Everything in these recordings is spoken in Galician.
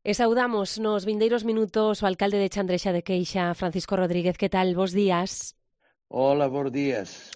E saudamos nos vindeiros minutos o alcalde de Chandrexa de Queixa, Francisco Rodríguez. Que tal? Bos días. Hola, bos días.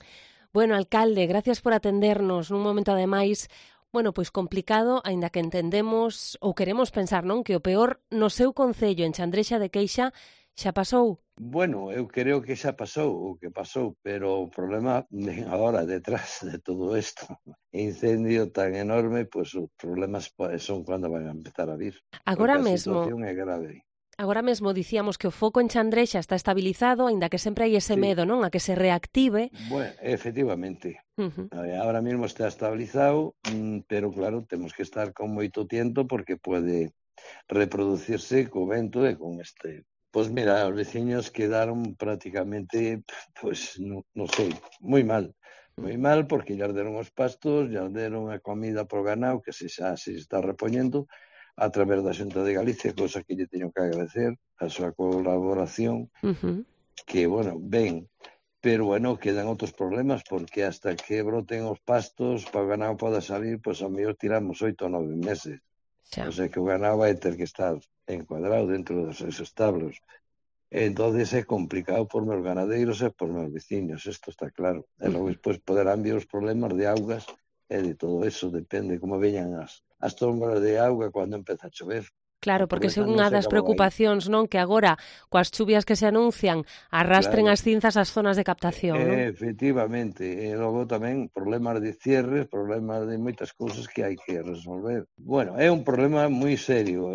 Bueno, alcalde, gracias por atendernos nun momento ademais, pois complicado, aínda que entendemos ou queremos pensar, non, que o peor no seu concello en Chandrexa de Queixa xa pasou. Bueno, eu creo que xa pasou o que pasou, pero o problema vem agora detrás de todo isto. Incendio tan enorme, pois os problemas son cando van a empezar a vir, porque a situación é grave. Agora mesmo dicíamos que o foco en Chandrexa está estabilizado, aínda que sempre hai ese Sí. medo, non, a que se reactive. Bueno, efectivamente. Ahora mismo está estabilizado, pero claro, temos que estar con moito tiento porque pode reproducirse co vento e con este. Pois mira, os veciños quedaron prácticamente, pois, non sei, moi mal porque lle arderon os pastos, lle arderon a comida pro ganado, que xa se está repoñendo a través da Xunta de Galicia, cousa que lle teño que agradecer a súa colaboración, que, bueno, ben, pero, bueno, quedan outros problemas, porque hasta que broten os pastos, para o ganado poda salir, pois ao mellor tiramos 8 ou 9 meses. Xa. O sea que o ganado vai ter que estar encuadrado dentro dos seus establos. Entonces é complicado por meus ganadeiros e por meus veciños, isto está claro. E logo despois poderán vir os problemas de augas e de todo eso, depende como veñan as trombas de auga cando empeza a chover. Claro, porque é unha das preocupacións, non, que agora, coas chuvias que se anuncian, arrastren as cinzas ás zonas de captación, non? Efectivamente, e logo tamén problemas de cierres, problemas de moitas cousas que hai que resolver. Bueno, é un problema moi serio.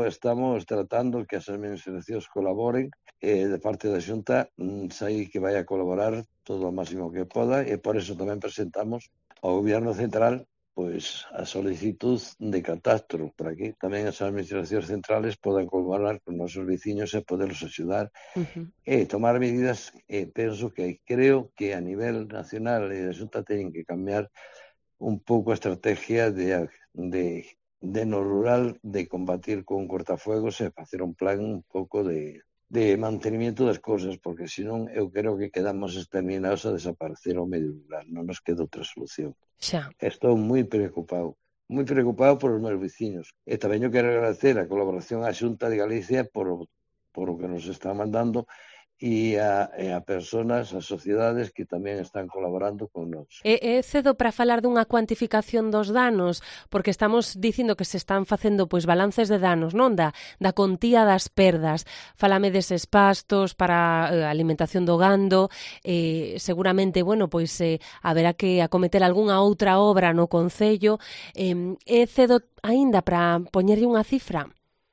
Estamos tratando que as administracións colaboren, de parte da Xunta, sei que vai a colaborar todo o máximo que poda, e por eso tamén presentamos ao Goberno Central pois a solicitud de catastro para que tamén as administracións centrales podan colaborar con nosos veciños e poderlos axudar e tomar medidas. Penso que creo que a nivel nacional e a Xunta teñen que cambiar un pouco a estrategia de no rural de combatir con cortafuegos e facer un plan un pouco de mantenimiento das cousas, porque senón eu creo que quedamos exterminados a desaparecer ao medio rural, non nos queda outra solución. Xa. Estou moi preocupado por os meus veciños. E tamén eu quero agradecer a colaboración á Xunta de Galicia por o que nos está mandando e a personas, as sociedades que tamén están colaborando con nós. É cedo para falar dunha cuantificación dos danos, porque estamos dicindo que se están facendo balances de danos, non? Da contía das perdas. Fálame deses pastos para a alimentación do gando, seguramente, haberá que acometer algunha outra obra no concello. É cedo aínda para poñerlle unha cifra?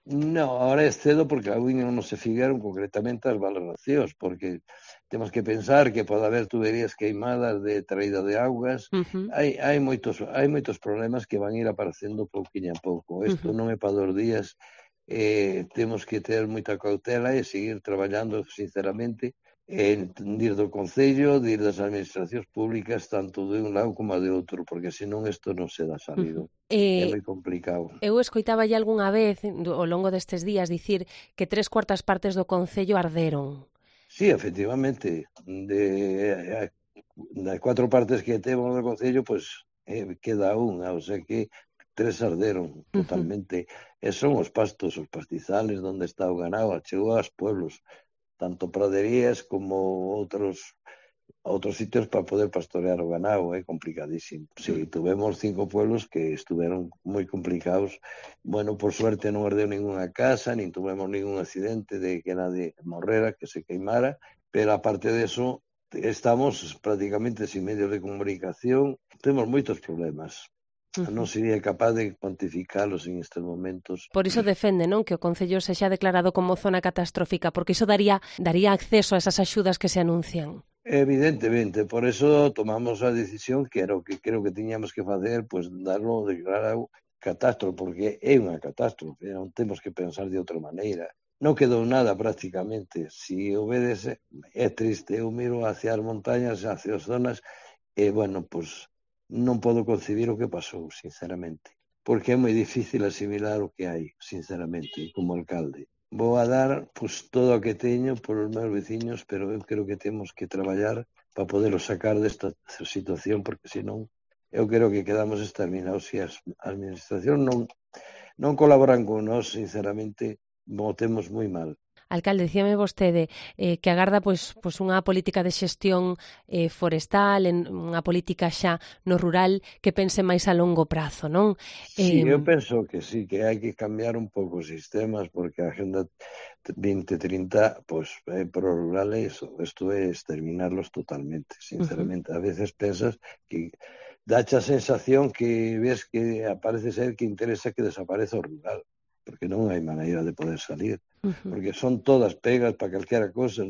No, ahora é cedo porque aún non se fixeron concretamente as valoracións, porque temos que pensar que pode haber tuberías queimadas de traída de augas. Hai moitos problemas que van ir aparecendo pouquinho a pouco. Isto non é para 2 días. Temos que ter moita cautela e seguir traballando sinceramente dir do Concello, dir das administracións públicas, tanto de un lado como de outro, porque senón isto non se dá salido. É moi complicado. Eu escoitaba algunha vez, ao longo destes días, dicir que 3/4 partes do Concello arderon. Sí, efectivamente. De 4 partes que temos do Concello, pois queda unha, o sea que 3 arderon totalmente. E son os pastos, os pastizales, onde está o ganado, chegou aos pueblos, tanto praderías como outros sitios para poder pastorear o ganado. É complicadísimo. Sí, tuvemos 5 pueblos que estuveron moi complicados. Bueno, por suerte non ardeu ninguna casa, nin tuvemos ningún accidente de que nadie morrera, que se queimara, pero aparte de eso, estamos prácticamente sin medios de comunicación, temos moitos problemas. Non sería capaz de cuantificalos en estes momentos. Por iso defende, non, que o Concello sexa declarado como zona catastrófica, porque iso daría acceso a esas axudas que se anuncian. Evidentemente, por eso tomamos a decisión que era o que creo que tiñamos que facer, pois darlo declarado catástrofe, porque é unha catástrofe, non temos que pensar de outra maneira. Non quedou nada prácticamente. Si o vedes, é triste. Eu miro hacia as montañas, hacia as zonas, e, bueno, pois non podo concebir o que pasou, sinceramente, porque é moi difícil asimilar o que hai, sinceramente, como alcalde. Vou a dar todo o que teño por os meus veciños, pero eu creo que temos que traballar para poderlo sacar desta situación, porque senón eu creo que quedamos exterminados se a administración non colaboran con nós, sinceramente, votemos moi mal. Alcalde, dicíame vostede que agarda pois unha política de xestión forestal, unha política xa no rural que pense máis a longo prazo, non? Sí, eu penso que sí, que hai que cambiar un pouco os sistemas, porque a Agenda 2030, pois, pro rural é iso, isto é exterminarlos totalmente, sinceramente. A veces pensas que dache a sensación que ves que parece ser que interesa que desapareza o rural, porque non hai maneira de poder salir, porque son todas pegas para calquera cosa,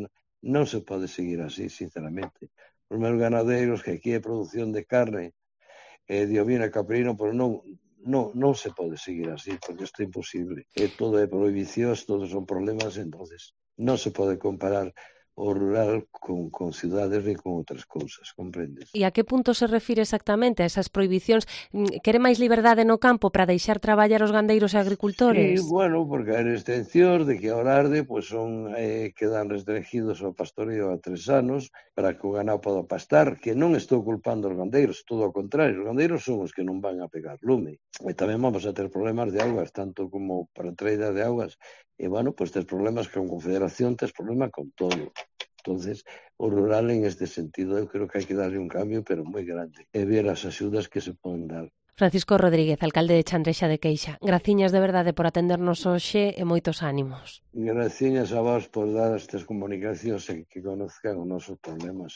non se pode seguir así, sinceramente. Os meus ganadeiros, que aquí é produción de carne, de ovino e caprino, pero non se pode seguir así, porque isto é imposible. Todo é prohibicións, todos son problemas, entonces non se pode comparar o rural con cidades ni con outras cousas, comprendes? E a que punto se refire exactamente a esas prohibicións? Quere máis liberdade no campo para deixar traballar os gandeiros e agricultores? Sí, bueno, porque hai restriccións de que ao arde pois quedan restringidos ao pastoreo a 3 anos para que o ganado poda pastar, que non estou culpando os gandeiros, todo ao contrario, os gandeiros son os que non van a pegar lume. E tamén vamos a ter problemas de augas, tanto como para a traída de augas. E, bueno, pois tes problemas con Confederación, tes problema con todo. Entonces, o rural en este sentido eu creo que hai que darle un cambio, pero moi grande, e ver as axudas que se poden dar. Francisco Rodríguez, alcalde de Chandrexa de Queixa. Graciñas de verdade por atendernos hoxe e moitos ánimos. Graciñas a vos por dar estas comunicacións e que conozcan os nosos problemas.